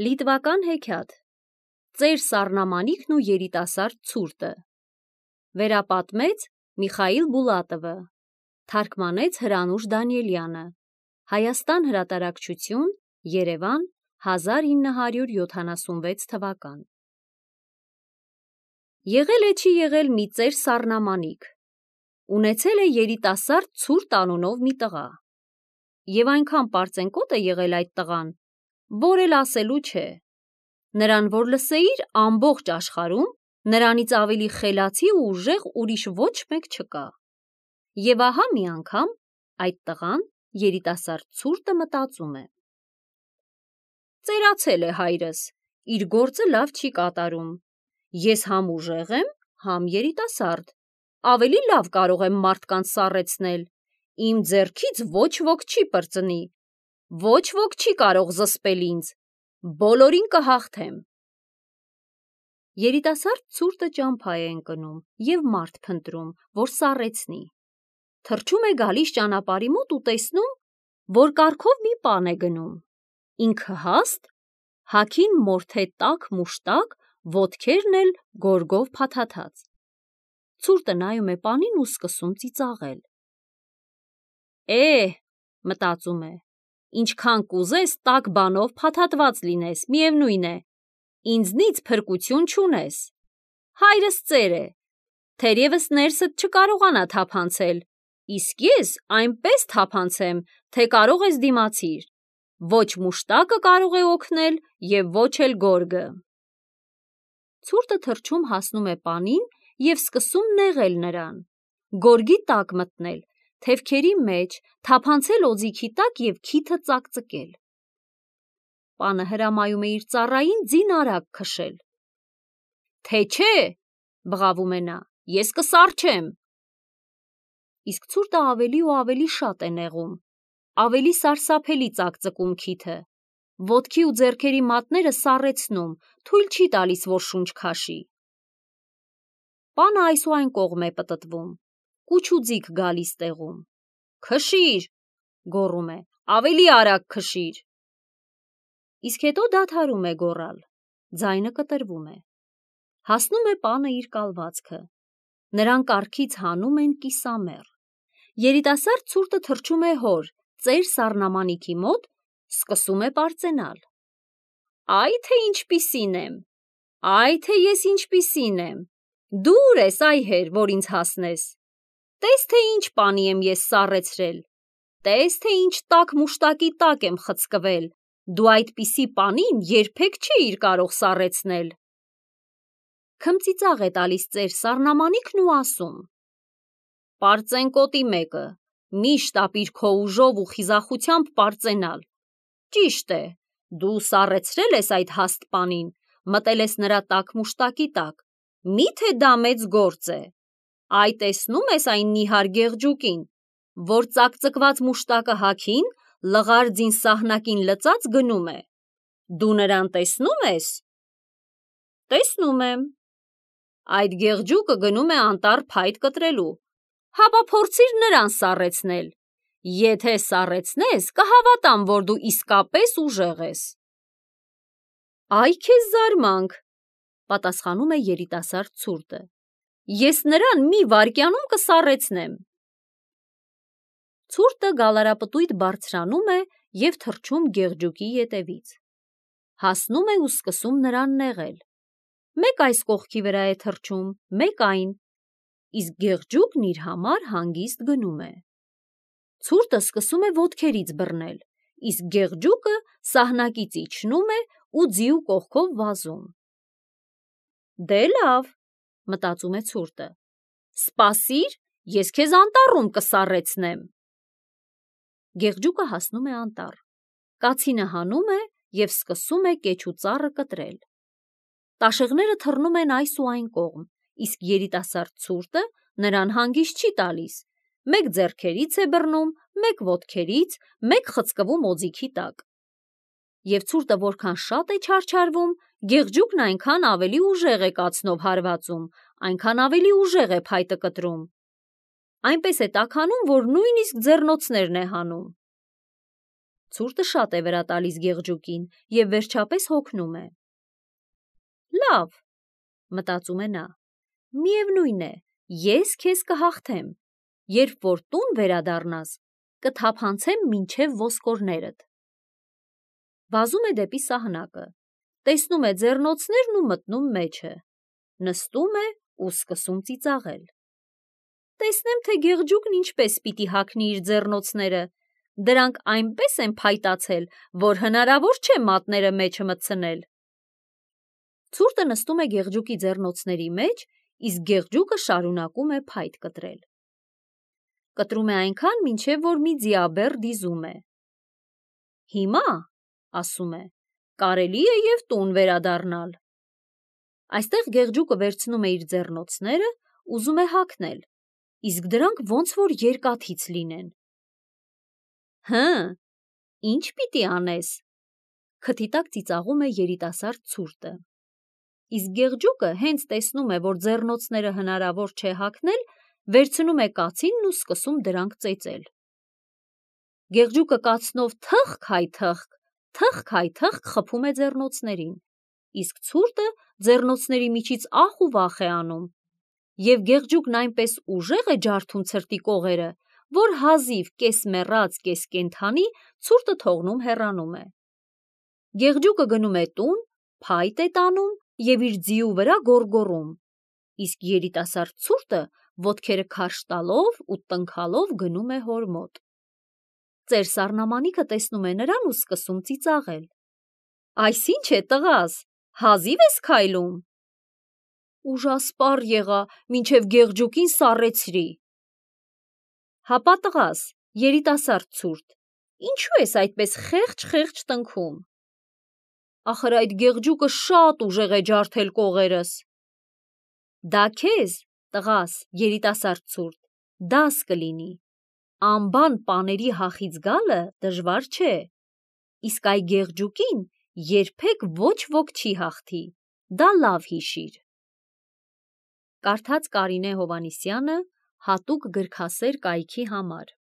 Լիտվական հեքիաթ Ծեր Սառնամանիքն ու երիտասարդ ցուրտը Վերապատմեց Միխայիլ Բուլատովը Թարգմանեց Հրանուշ Դանիելյանը Հայաստան հրատարակչություն Երևան 1976 թվական Եղել է չի եղել մի ծեր Սառնամանիք ունեցել է երիտասարդ ցուրտ անունով մի տղա և այնքան պարծենկոտ է եղել այդ տղան որ էլ ասելու չէ նրան որ լսեիր ամբողջ աշխարհում նրանից ավելի խելացի ու ուժեղ ուրիշ ոչ մեկ չկա և ահա մի անգամ այդ տղան երիտասարդ ցուրտը մտածում է ծերացել է հայրս իր գործը լավ չի կատարում ես համ ուժեղ եմ համ երիտասարդ ավելի լավ կարող եմ մարդկանց սառեցնել իմ ձեռքից ոչ ոք չի պրծնի ոչ ոք չի կարող զսպել ինձ բոլորին կհաղթեմ երիտասարդ ցուրտը ճամփա է ընկնում և մարդ փնտրում որ սառեցնի թռչում է գալիս ճանապարհի մոտ ու տեսնում որ կառքով մի պան է գնում ինքը հաստ հագին մորթե տաք մուշտակ ոտքերն էլ գորգով փաթաթած ցուրտը նայում է պանին ու սկսում ծիծաղել մտածում է ինչքան կուզես տաք բանով փաթաթված լինես միևնույն է ինձնից փրկություն չունես հայրս ծեր է թերևս ներսդ չկարողանա թափանցել իսկ ես այնպես թափանցեմ թե կարող ես դիմացիր ոչ մուշտակը կարող է օգնել և ոչ էլ գորգը ցուրտը թռչում հասնում է պանին և սկսում նեղել նրան գորգի տակ մտնել թևքերի մեջ թափանցել օձիքի տակ և քիթը ծակծկել պանը հրամայում է իր ծառային ձին արագ քշել թե չէ բղավում է նա ես կսառչեմ իսկ ցուրտը ավելի ու ավելի շատ է նեղում ավելի սարսափելի ծակծկում քիթը ոտքի ու ձեռքերի մատները սառեցնում թույլ չի տալիս որ շունչ քաշի պանը այս ու այն կողմ է պտտվում կուչ ու ձիգ գալիս տեղում քշիր գոռում է ավելի արագ քշիր իսկ հետո դադարում է գոռալ ձայնը կտրվում է հասնում է պանը իր կալվածքը նրան կառքից հանում են կիսամեռ երիտասարդ ցուրտը թռչում է հոր ծեր Սառնամանիքի մոտ սկսում է պարծենալ այ թե ինչպիսին եմ այ թե ես ինչպիսին եմ դուր ես այհեր որ ինձ հասնես տես թե ինչ պանի եմ ես սառեցրել տես թե ինչ տաք մուշտակի տակ եմ խցկվել դու այդպիսի պանին երբեք չէիր կարող սառեցնել քմծիծաղ է տալիս ծեր Սառնամանիքն ու ասում պարծենկոտի մեկը միշտ ապիր քո ուժով ու խիզախությամբ պարծենալ ճիշտ է դու սառեցրել ես այդ հաստ պանին մտել ես նրա տաք մուշտակի տակ միթե դա մեծ գործ է այ տեսնո՞ւմ ես այն նիհար գեղջուկին որ ծակծկված մուշտակը հագին լղար ձին սահնակին լծած գնում է դու նրան տեսնո՞ւմ ես տեսնում եմ այդ գեղջուկը գնում է անտառ փայտ կտրելու հապա փորձիր նրան սառեցնել եթե սառեցնես կհավատամ որ դու իսկապես ուժեղ ես այ քեզ զարմանք պատասխանում է երիտասարդ ցուրտը ես նրան մի վայրկյանում կսառեցնեմ ցուրտը գալարապտույտ բարձրանում է և թռչում գեղջուկի ետևից հասնում է ու սկսում նրան նեղել մեկ այս կողքի վրա է թռչում մեկ այն իսկ գեղջուկն իր համար հանգիստ գնում է ցուրտը սկսում է ոտքերից բռնել իսկ գեղջուկը սահնակից իջնում է ու ձիու կողքով վազում դե լավ մտածում է ցուրտը սպասիր ես քեզ անտառում կսառեցնեմ գեղջուկը հասնում է անտառ կացինը հանում է և սկսում է կեչ ու ծառը կտրել տաշեղները թռնում են այս ու այն կողմ իսկ երիտասարդ ցուրտը նրան հանգիստ չի տալիս մեկ ձեռքերից է բռնում մեկ ոտքերից մեկ խցկվում օձիքի տակ և ցուրտը որքան շատ է չարչարվում գեղջուկն այնքան ավելի ուժեղ է կացնով հարվածում այնքան ավելի ուժեղ է փայտը կտրում այնպես է տաքանում որ նույնիսկ ձեռնոցներն է հանում Ցուրտը շատ է վրա տալիս Գեղջուկին և վերջապես հոգնում է։ Լավ, մտածում է նա, միևնույն է, ես քեզ կհաղթեմ, երբ որ տուն վերադառնաս, կթափանցեմ մինչև ոսկորներդ։ Վազում է դեպի սահնակը, տեսնում է ձեռնոցներն ու մտնում մեջը, նստում է ու սկսում ծիծաղել։ Տեսնեմ, թե Գեղջուկն ինչպես պիտի հագնի իր ձեռնոցները, դրանք այնպես են փայտացել, որ հնարավոր չէ մատները մեջը մտցնել։ Ցուրտը նստում է Գեղջուկի ձեռնոցների մեջ, իսկ Գեղջուկը շարունակում է փայտ կտրել։ Կտրում է այնքան, մինչև որ մի ձիաբեռ դիզում է։ Հիմա, ասում է, կարելի է և տուն վերադառնալ։ Այստեղ Գեղջուկը վերցնում է իր ձեռնոցները, ուզում է հագնել, իսկ դրանք ոնց որ երկաթից լինեն։ Հը, ինչ պիտի անես, քթի տակ ծիծաղում է երիտասարդ ցուրտը։ Իսկ Գեղջուկը հենց տեսնում է, որ ձեռնոցները հնարավոր չէ հագնել, վերցնում է կացինն ու սկսում դրանք ծեծել։ Գեղջուկը կացնով թխք-հայ-թխք խփում է ձեռնոցներին, իսկ ցուրտը ձեռնոցների միջից ախ ու վախ է անում, և Գեղջուկն այնպես ուժեղ է ջարդում ցրտի կողերը, որ հազիվ կես մեռած, կես կենդանի ցուրտը թողնում հեռանում է։ Գեղջուկը գնում է տուն, փայտ է տանում և իր ձիու վրա գոռգոռում, իսկ երիտասարդ ցուրտը ոտքերը քարշ տալով ու տնքալով գնում է հոր մոտ։ Ծեր սառնամանիքը տեսնում է նրան ու սկսում ծիծաղել։ Այս ի՞նչ է, տղաս, հազիվ ես քայլում։ Ուժասպառ եղա, մինչև Գեղջուկին սառեցրի։ Հապա տղաս, երիտասարդ ցուրտ, ինչու ես այդպես խեղճ տնքում։ Ախր այդ Գեղջուկը շատ ուժեղ է ջարդել կողերս։ Դա քեզ, տղաս, երիտասարդ ցուրտ, դաս կլինի։ Անբան պաների հախից գալը դժվար չէ, իսկ այ Գեղջուկին երբեք ոչ ոք չի հաղթի, դա լավ հիշիր։ Կարդաց Կարինե Հովհաննիսյանը հատուկ գրքասեր կայքի համար։